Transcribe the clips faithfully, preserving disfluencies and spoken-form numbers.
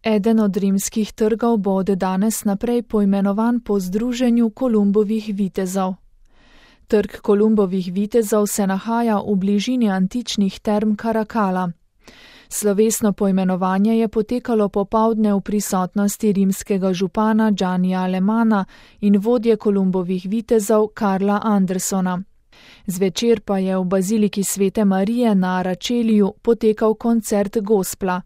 Eden od rimskih trgov bo od danes naprej poimenovan po združenju Kolumbovih vitezov. Trg Kolumbovih vitezov se nahaja v bližini antičnih term Karakala. Slovesno poimenovanje je potekalo popoldne v prisotnosti rimskega župana Giannija Alemana in vodje Kolumbovih vitezov Karla Andersona. Zvečer pa je v baziliki Svete Marije na Aračeliju potekal koncert gospla.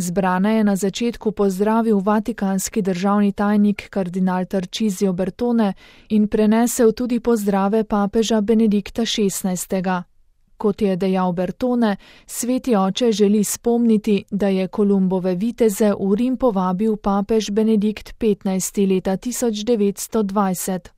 Zbrane je na začetku pozdravil vatikanski državni tajnik kardinal Tarcisio Bertone in prenesel tudi pozdrave papeža Benedikta šestnajstega. Kot je dejal Bertone, sveti oče želi spomniti, da je Kolumbove viteze v Rim povabil papež Benedikt petnajsti leta tisoč devetsto dvajset.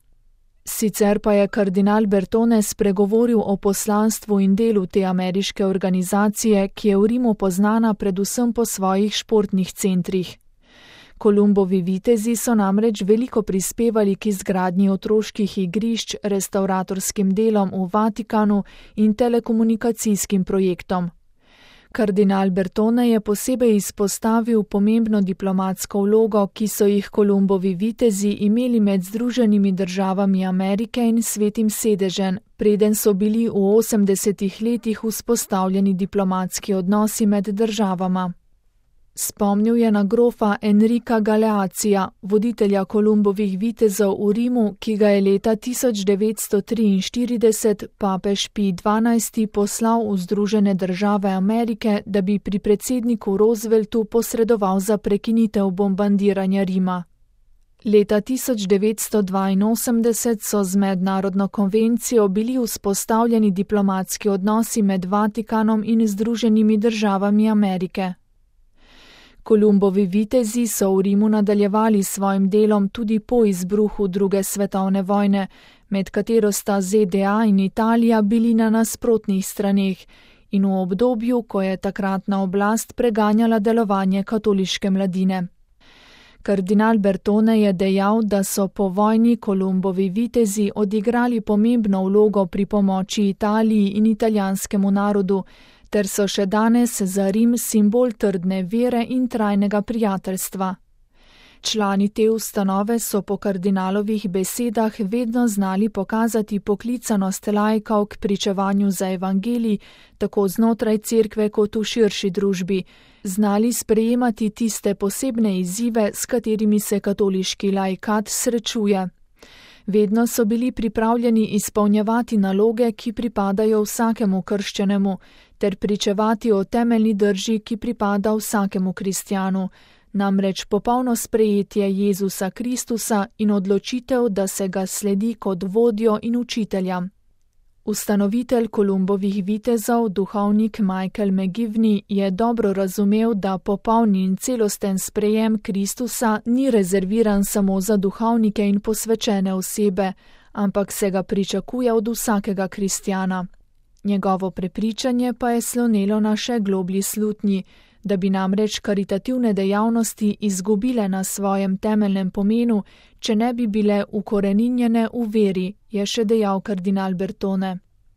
Sicer pa je kardinal Bertone spregovoril o poslanstvu in delu te ameriške organizacije, ki je v Rimu poznana predvsem po svojih športnih centrih. Kolumbovi vitezi so namreč veliko prispevali k izgradnji otroških igrišč, restauratorskim delom v Vatikanu in telekomunikacijskim projektom. Kardinal Bertone je posebej izpostavil pomembno diplomatsko vlogo, ki so jih Kolumbovi vitezi imeli med Združenimi državami Amerike in Svetim sedežem, preden so bili v osemdesetih letih vzpostavljeni diplomatski odnosi med državama. Spomnil je na grofa Enrika Galeacija, voditelja Kolumbovih vitezov v Rimu, ki ga je leta tisoč devetsto triinštirideset papež Pij dvanajsti poslal v Združene države Amerike, da bi pri predsedniku Rooseveltu posredoval za prekinitev bombardiranja Rima. Leta tisoč devetsto dvainosemdeset so z mednarodno konvencijo bili vzpostavljeni diplomatski odnosi med Vatikanom in Združenimi državami Amerike. Kolumbovi vitezi so v Rimu nadaljevali svojim delom tudi po izbruhu druge svetovne vojne, med katero sta Z D A in Italija bili na nasprotnih straneh in v obdobju, ko je takratna oblast preganjala delovanje katoliške mladine. Kardinal Bertone je dejal, da so po vojni Kolumbovi vitezi odigrali pomembno vlogo pri pomoči Italiji in italijanskemu narodu, ter so še danes za Rim simbol trdne vere in trajnega prijateljstva. Člani te ustanove so po kardinalovih besedah vedno znali pokazati poklicanost laikov k pričevanju za evangelij, tako znotraj cerkve kot v širši družbi, znali sprejemati tiste posebne izzive, s katerimi se katoliški laikat srečuje. Vedno so bili pripravljeni izpolnjevati naloge, ki pripadajo vsakemu krščenemu, ter pričevati o temeljni drži, ki pripada vsakemu kristjanu, namreč popolno sprejetje Jezusa Kristusa in odločitev, da se ga sledi kot vodjo in učitelja. Ustanovitelj Kolumbovih vitezov, duhovnik Michael McGivney, je dobro razumel, da popolni in celosten sprejem Kristusa ni rezerviran samo za duhovnike in posvečene osebe, ampak se ga pričakuje od vsakega kristjana. Njegovo prepričanje pa je slonelo na še globlji slutnji, da bi namreč karitativne dejavnosti izgubile na svojem temeljnem pomenu, če ne bi bile ukoreninjene v veri, je še dejal kardinal Bertone.